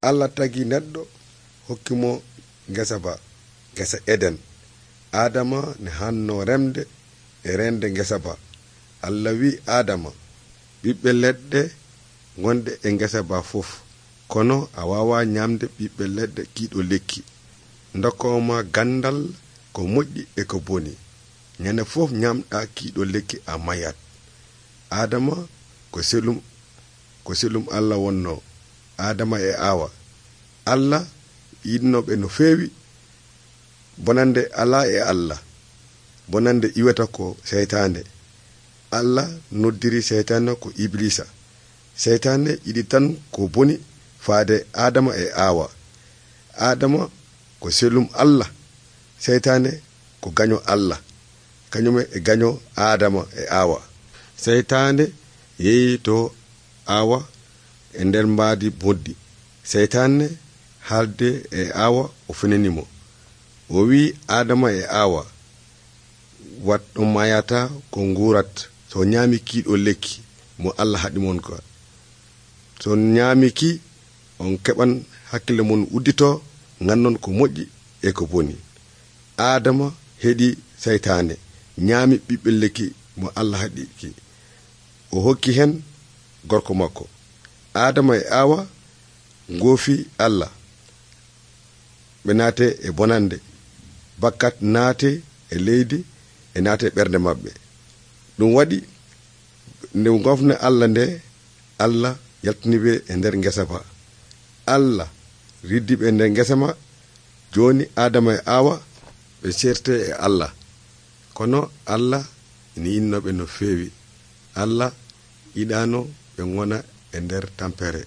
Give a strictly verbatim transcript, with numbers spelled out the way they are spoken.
Allah tagi neɗɗo hokkimo ngesa ba ngesa Eden. Adama ne hanno remde e rende ngesa ba. Allah wi Adama, ɓiɓɓe leɗɗe gonde e ngesa ba fof, kono a wawa nyamde ɓiɓɓe leɗɗe kiiɗo lekki. Dokkoma gandal ko moƴƴi e ko boni. Nyande fof nyamɗa kiiɗo lekki a mayat. Adama ko selum ko selum Allah wonno. Adama e Awa. Allah yidnoɓe no feewi. Bonande ala e Allah. Bonande iwata ko seytane. Allah noddiri seytane ko Iblisa. Seytane yiɗi tan ko boni faade Adama e Awa. Adama ko selum Allah. Seytane ko gaño Allah. Kañume e gaño Adama e Awa. Seytane yeeyi to Awa e nder mbaadi boddi. Seytane haalde e Awa o fenanimo. O wi Adama e Awa, wat ɗum mayata ko ngurat so ñaami kiiɗo lekki mo Allah haɗi mon ko. So ñaami ki on keɓan hakkille mon uddito, ngannon ko moƴƴi e ko boni. Adama heɗi seytane, ñaami ɓiɓɓe lekki mo Allah haɗi ki. O hokki hen gorko makko. Adama e Awa ngoofi Allah. Ɓe naate e bonande. Bakkat naate e leydi e naate ɓernde maɓɓe. Ɗum waɗi nde gofne Allah nde, Allah yaltiniɓe e nder ngesa ba. Allah riddiɓe e nder ngesa ma. Joni Adama e Awa ɓe certe e Allah. Kono Allah ina yinnoɓe no feewi. Allah yiɗano ɓe gona e nder tampere.